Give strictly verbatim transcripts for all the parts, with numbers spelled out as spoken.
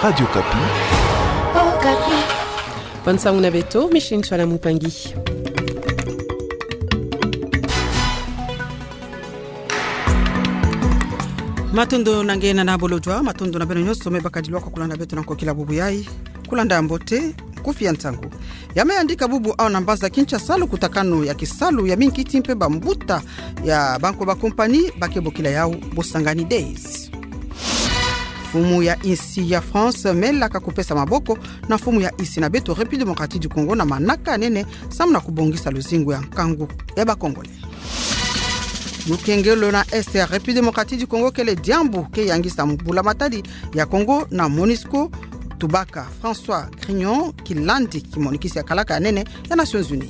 Radio Okapi. Okapi. Bansangu na beto, Micheline Tchouala Moupangi. Matondo na nge na bolojwa, matondo na beno nyonso me bakadilwa kwa kulanda beto na nkokila bubu yayi. Kulanda mbote, nkufi ya ntangu. Ya me yandika bubu awa na mbanza Kinshasa lukutakanu ya kisalu ya minkiti mpe bambuta ya bankwa ba kompani ba ke bokila yawu Bosangani Days. Mfumu ya insi ya France me laka kupesa maboko na mfumu ya insi na beto République Démocratique du Congo na manaka nene samu na kubongisa luzingu ya nkangu ya ba Congolais. Lukengelo na Est ya République Démocratique du Congo kele diambu ke yangisa mbula matadi ya Congo na MONUSCO, tubaka François Grignon, kilandi kimonikisi ya kalaka ya nene ya Nations Unies.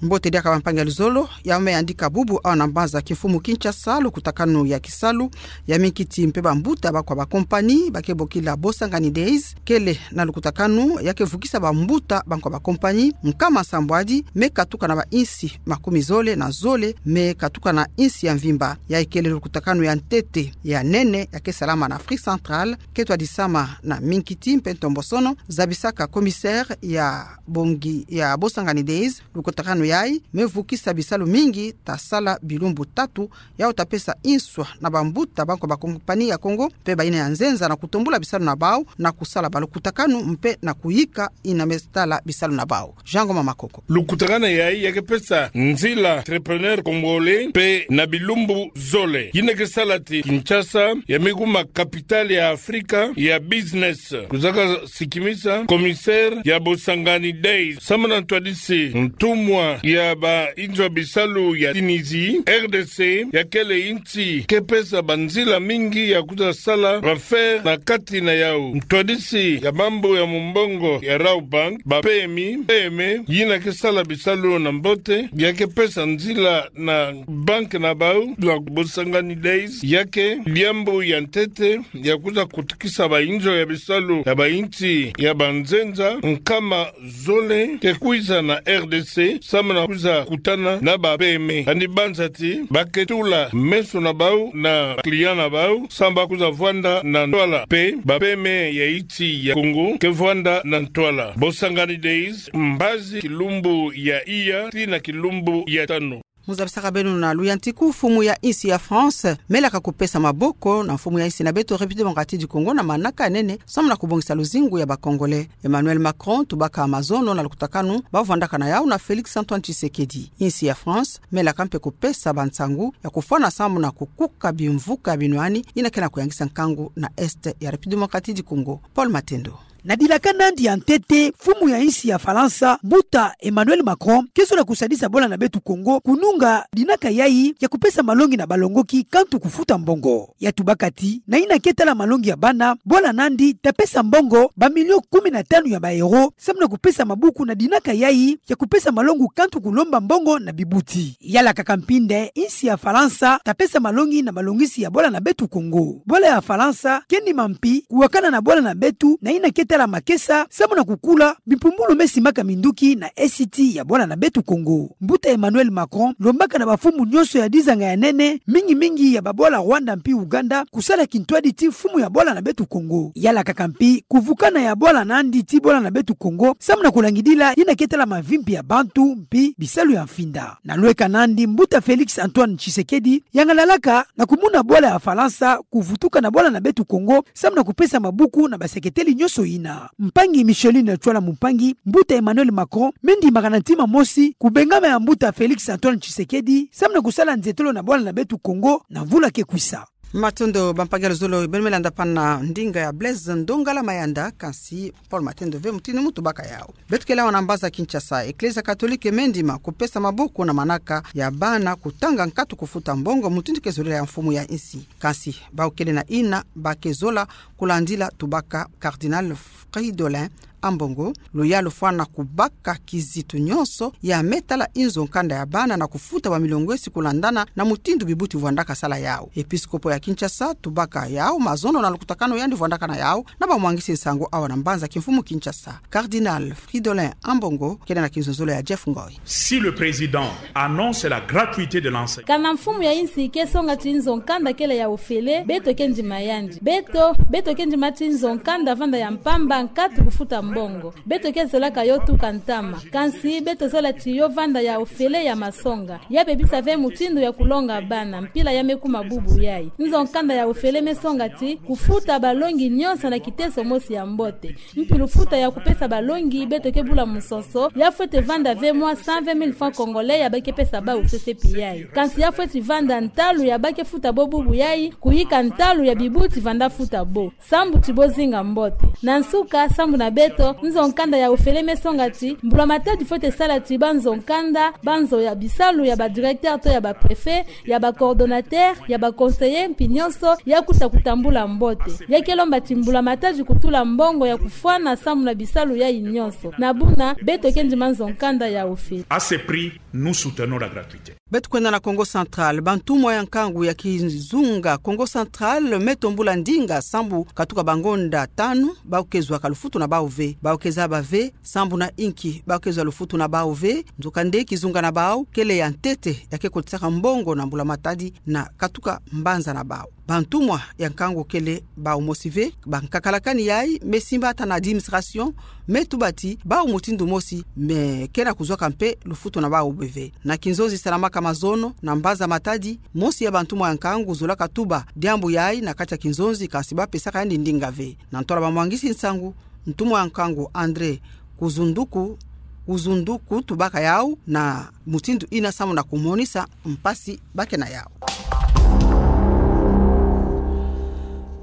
Mbote diaka bampangi ya luzolo, ya me yandika bubu awa na mbanza kimfumu Kinshasa lukutakanu ya kisalu ya minkiti mpe bambuta bankwa ba kompani ba ke bokila Bosangani Days, kele na lukutakanu ya ke vukisa bambuta bankwa ba kompani nkama sambwadi me katuka na ba insi makumi zole na zole me katuka na insi ya mvimba. Ya kele lukutakanu ya ntete ya nene ya ke salama na Afrique Centrale, ke twadisama na minkiti mpe ntombosono, zabisaka commissaire ya bongi ya Bosangani Days. Lukutakanu yayi me vukisa bisalu mingi ta sala bilumbu tatu, yawu ta pesa inswa na bambuta bankwa ba kompani ya Congo mpe bayina ya nzenza na kutombula bisalu na bawu na kusala balukutakanu mpe na kuyika yina me tala bisalu na bawu. Jean Ngoma Makoko. Lukutakanu yayi ya ke pesa nzila entrepreneur congolais mpe na bilumbu zole. Yina ke sala ti Kinshasa ya me kuma capitale ya Afrika ya business. Kuzaka sikimisa commissaire ya Bosangani Days samu na ntwadisi ntumwa ya ba inzo ya bisalu ya Tunisie, R D C, ya kele insi ke pesa banzila mingi ya kuza sala ba affaire na kati na yawu. Ntwadisi ya mambu ya mumbongo ya Rabobank, ba P M I, P M E, yina ke sala bisalu na mbote, ya ke pesa nzila na banki na bawu, na Bosangani Days, ya ke diambu ya ntete ya kuza kutukisa ba inzo ya bisalu ya ba insi ya banzenza nkama zole ke kwiza na R D C samu na kuza kutana na ba P M E. Kani banza ti ba ke tula meso na bawu na client na bawu samu ba kuza vwanda na ntwala. Mpe ba P M E ya insi ya Congo ke vwanda na ntwala. Bosangani Days, mbazi kilumbu ya iya tii na kilumbu ya tanu. Mu zabisaka beno na luyantiku, mfumu ya insi ya France me laka kupesa maboko na mfumu ya insi na beto République Démocratique du Congo na manaka nene samu na kubongisa luzingu ya ba Congolais. Emmanuel Macron, tubaka mazono na lukutakanu ba vwandaka na yawu na Félix Antoine Tshisekedi. Insi ya France me laka mpe kupesa bansangu ya kufwana samu na kukuka bimvuka binwani yina ke na kuyangisa nkangu na Est ya République Démocratique du Congo. Paul Matendo. Na dilaka nandi ya ntete, mfumu ya insi ya Falansa, mbuta Emmanuel Macron, ke zola kusadisa bwala na beto Congo kununga dinaka yayi ya kupesa malongi na balongoki kantu kufuta mbongo. Ya tubaka ti, na yina ke tala malongi ya bana, bwala nandi ta pesa mbongo ba million kumi na tanu ya ba euros, samu na kupesa mabuku na dinaka yayi ya kupesa malongi kantu kulomba mbongo na bibuti. Ya lakaka mpi nde insi ya Falansa ta pesa malongi na malongisi ya bwala na beto Congo. Bwala ya Falansa ke ndima mpi kuwakana na bwala na beto na yina ke tala makesa, samu na kukula bimpumbulu me simaka minduki na esiti ya bwala na beto Congo. Mbuta Emmanuel Macron lombaka na bamfumu nyonso ya dizanga ya nene, mingi mingi ya babwala Rwanda mpi Ouganda, kusala kintwadi ti mfumu ya bwala na beto Congo. Ya lakaka mpi kuvukana ya bwala nandi tii bwala na beto Congo, samu na kulangidila yina ke tala mavimpi ya bantu mpi bisalu ya mfinda. Na lweka nandi, mbuta Félix Antoine Tshisekedi yangalalaka na kumona bwala ya Falansa kuvutuka na bwala na beto Congo, samu na kupesa mabuku na baseketeli nyonso yina. Mpangi Micheline Tchouala Moupangi, mbuta Emmanuel Macron me ndimaka na ntima mosi kubengama ya mbuta Félix Antoine Tshisekedi, samu na kusala nzietolo na bwala na beto Congo na mvula ke kwisa. Matondo bampangi ya luzolo, beno me landa pana ndinga ya Blaise Ndongala Mayanda, kansi Paul Matendo ve mutindu mu tubaka yawu. Beto kele awa na mbaza Kinshasa, Eklezia Katolike me ndima kupesa mabuku na manaka ya bana kutanga nkatu kufuta mbongo mutindu ke zolela ya mfumu ya insi. Kansi bawu kele na yina ba ke zola kulandila, tubaka Cardinal Fridolin Ambongo, luyalu fwana kubaka kizitu nyonso ya me tala nzo nkanda ya bana na kufuta bamilongo esi kulandana na mutindu bibuti vwandaka sala yau. Episkopo ya Kinshasa tubaka yau mazono na lukutakanu yandi vwandaka na yau na bamwangisi nsangu awa na mbanza kimfumu Kinshasa. Cardinal Fridolin Ambongo kele na kinzonzolo ya Jeff Ngoi. Si le président annonce la gratuité de l'enseignement. Kana mfumu ya insi ke songa ti nzo nkanda kele ya ofele, beto ke ndima yandi. Beto, beto ke ndima ti nzo nkanda vanda ya mpamba nkatu kufuta mbongo. Beto ke zolaka yo tuka ntama. Kansi beto zola ti yo vanda ya ofele ya masonga. Ya bebisa ve mutindu ya kulonga bana, mpila ya me kuma bubu yai. Nzo nkanda ya ofele me songa ti kufuta balongi nyonso na kiteso mosi ya mbote. Mpi lufuta ya kupesa balongi beto ke bula musoso, ya fwete vanda ve mwa cent vingt mille francs congolais ya ba ke pesa bau C C P I. Kansi ya fwete vanda ntalu ya ba ke futa bo bubu yai, kuyika ntalu ya bibuti vanda futa bo. Sambu ti bo zinga mbote. Na nsuka, sambu na beto, nzo nkanda ya ofele me songa ti, mbula matadi fwete sala ti banzo nkanda, banzo ya bisalu ya ba directeur to ya ba préfet, ya ba coordonnateur, ya ba conseiller, mpi nyonso, ya kuta kutambula mbote. Ya ke lomba ti mbula matadi kutula mbongo ya kufwana sambu na bisalu yai nyonso. Na buna, beto ke ndima nzo nkanda ya ofele. À ce prix, nous soutenons la gratuité. Beto kwenda na Kongo Central, bantumwa ya nkangu ya kizunga Kongo Central me tombula ndinga sambu katuka bangonda tanu, bau ke zwaka lufutu na bau ve, bau ke zaba ve, sambu na inki bau ke zwa lufutu na bau ve, nzokande kizunga na bau kele ya ntete ya ke kotisaka mbongo na mbula matadi na katuka mbanza na bau. Bantumwa ya nkangu kele bau mosi ve, bankakalakani yai me simba ata na administration, me tuba ti bau mutindu mosi me ke na kuzwaka mpe lufutu na bau be ve. Na kinzonzi salamaka mazono na mbanza matadi, mosi ya bantumwa ya nkangu zolaka tuba diambu yai na kati ya kinzonzi, kansi ba pesaka yandi ndinga ve. Na ntwala bamwangisi nsangu, ntumwa ya nkangu André Kuzunduku, Kuzunduku tubaka yau na mutindu ina sambu na kumonisa mpasi ba ke na yau.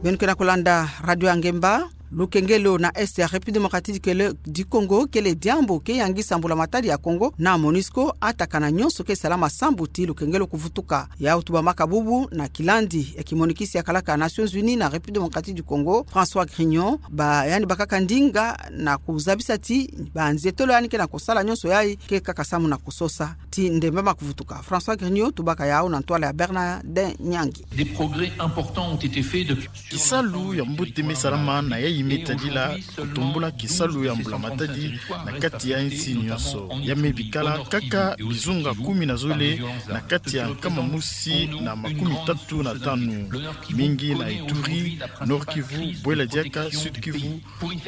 Beno ke na kulanda Radio ya Ngemba. Lukengelo na Est ya République Démocratique du Congo kele diambu ke yangisa mbula matadi ya Congo na MONUSCO, ata kana nyonso ke salama sambu ti lukengelo kuvutuka. Yau tubamaka bubu na kilandi ya kimonikisi ya kalaka Nations Unies na République Démocratique du Congo, François Grignon, ba yandi bakaka ndinga na kuzabisa ti banzietolo yandi ke na kusala nyonso yai ke kaka sambu na kusosa ti ndembama kuvutuka. François Grignon tubaka yau na ntwala ya Bernard Nyangi. Des progrès importants ont été faits depuis Kisalu ya mbote me salama na yai me tadila kutumbula kisalu ya mbula matadi na kati ya nsi nyonso. Ya me bikala kaka bizunga kumi na zole na kati ya nkama mosi na makumi tatu na tanu, mingi na Ituri, Nord-Kivu, Bwela Diaka, Sud-Kivu,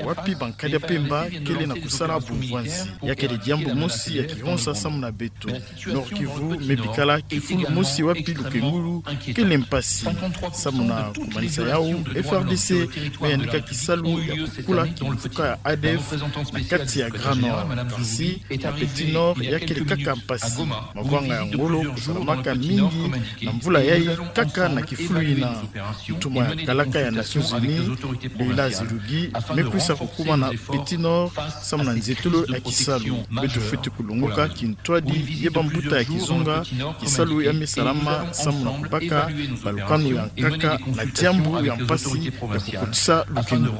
wapi bankadi ya mpemba kele na kusala bumvwanzi. Ya kele diambu mosi ya kihonsa samu na beto. Nord-Kivu me bikala kifulu mosi wapi lukengulu kele mpasi. Samu na kumanisa yau, F R D C me yandika kisalu ya kukula kimvuka ya A D F na kati ya Grand Nord. Kasi na Petit Nord ya kele kaka mpasi. Mavanga ya ngolo kusalamaka mingi na mvula yai kaka na kifulu ina. Ntumwa ya kalaka ya Nations Unies, Leila Zerrougui, me kwisa kukuma na Petit Nord samu na nzietolo ya kisalu. Beto fwete kulongoka kintwadi ye bambuta ya kizunga kisalu ya me salama samu na kubaka balukanu ya nkaka na diambu ya mpasi ya kukotisa lukengulu.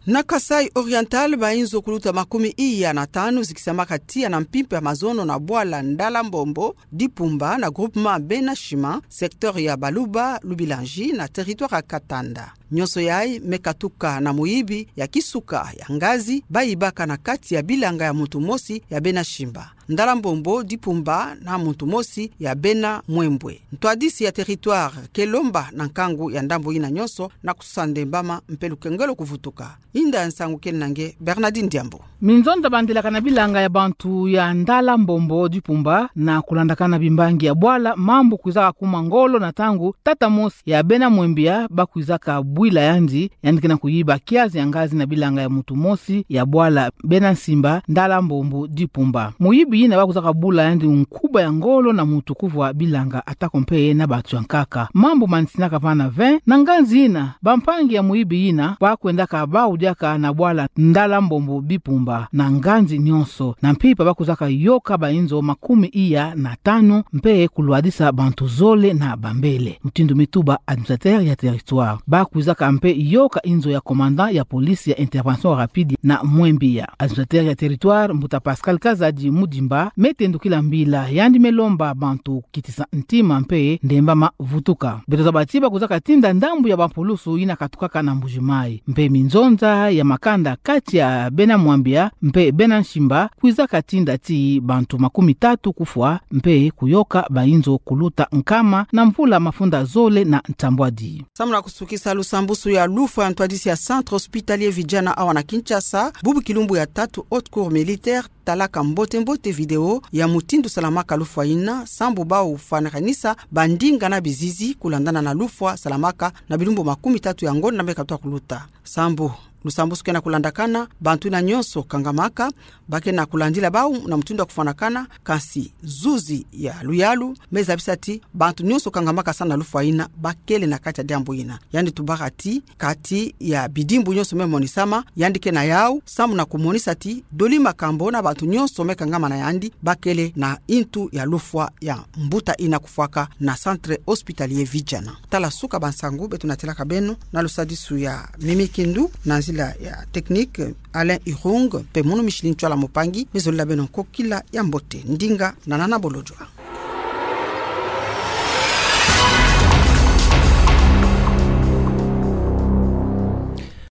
Na Kasaï Oriental, bainzo kuluta makumi iya na tanu zikisamaka tiya na mpimpa ya mazono na bwala Ndala Mbombo Dipumba na groupement Bena Sima, secteur ya Baluba Lubilanji na territoire ya Katanda. Nyonso yai me katuka na muyibi ya kisuka ya ngazi bayibaka na kati ya bilanga ya muntu mosi ya Bena Sima, Ndala Mbombo Dipumba, na muntu mosi ya Bena Mwembwe. Ntwadisi ya territoire ke lomba na nkangu ya ndambu ina nyonso na kusosa ndembama mpe lukengelo kuvutuka. Inda ya nsangu kele na nge Bernardine Diambu. Minzonza bandilaka na bilanga ya bantu ya Ndala Mbombo Dipumba na kulandakana bimbangi ya bwala, mambu kwizaka kuma ngolo na ntangu tata mosi ya Bena Mwembwe bakwizaka bwila yandi, yandi ke na kuyiba kiazi ya ngazi na bilanga ya muntu mosi ya bwala Bena Sima, Ndala Mbombo Dipumba. Muyibi yina bakwizaka bula yandi nkuba ya ngolo na mutu kuvwa bilanga, atako mpe na bantu ya nkaka. Mambu manisinaka vana ve, na nganzi yina, bampangi ya muyibi yina bakwendaka bau diaka na bwala Ndala Mbombo Bipumba na nganzi nyonso, na mpimpa bakwizaka yoka bainzo makumi iya na tanu, mpe kulwadisa bantu zole na bambele, mutindu mi tuba administrateur ya territoire. Bakwizaka mpe yoka inzo ya commandant ya police ya intervention rapide na Mwembia. Administrateur ya territoire, mbuta Pascal Kazadi Mudimba, me tendukila mbila, yandi me lomba bantu kitisa ntima mpe ndemba mavutuka. Beto zaba ti bakwizaka tinda ndambu ya bampulusu yina katukaka na Mbuji-Mayi, mpe minzonza ya makanda kati ya bena Mwembia mpe bena Nsimba kwizaka tinda ti bantu makumi tatu kufwa mpe kuyoka bainzo kuluta nkama na mvula mafunda zole na ntambwadi. Samu na kusukisa lusambusu ya lufwa ya ntwadisi ya Centre Hospitalier Vijana awa na Kinshasa, bubu kilumbu ya tatu Haute Cour Militaire talaka mbote-mbote video ya mutindu salamaka lufwa yina, sambu bau fwanakanisa bandinga na bizizi kulandana na lufwa salamaka na bilumbu makumi tatu ya ngonda me katuka kuluta. Sambu lusambusu ke na kulandakana, bantu yina nyonso kangamaka, ba ke na kulandila bau na mutindu ya kufwanakana, kansi zuzi ya luyalu me zabisa ti bantu nyonso kangamaka sa na lufwa yina ba kele na kati ya diambu yina. Yandi tubaka ti kati ya bidimbu nyonso me monisama, yandi ke na yau, samu na kumonisa ti doli makambo na bantu nyonso me kangama na yandi ba kele na intu ya lufwa ya mbuta yina kufwaka na Centre Hospitalier Vijana. Tala suka bansangu beto natilaka beno na lusadisu ya Mimi Kindu na nzila ya technique Alain Irung, mpe mono Micheline Tshoala Mopangi me zolila beno nkokila ya mbote, ndinga na nana bolodjwa.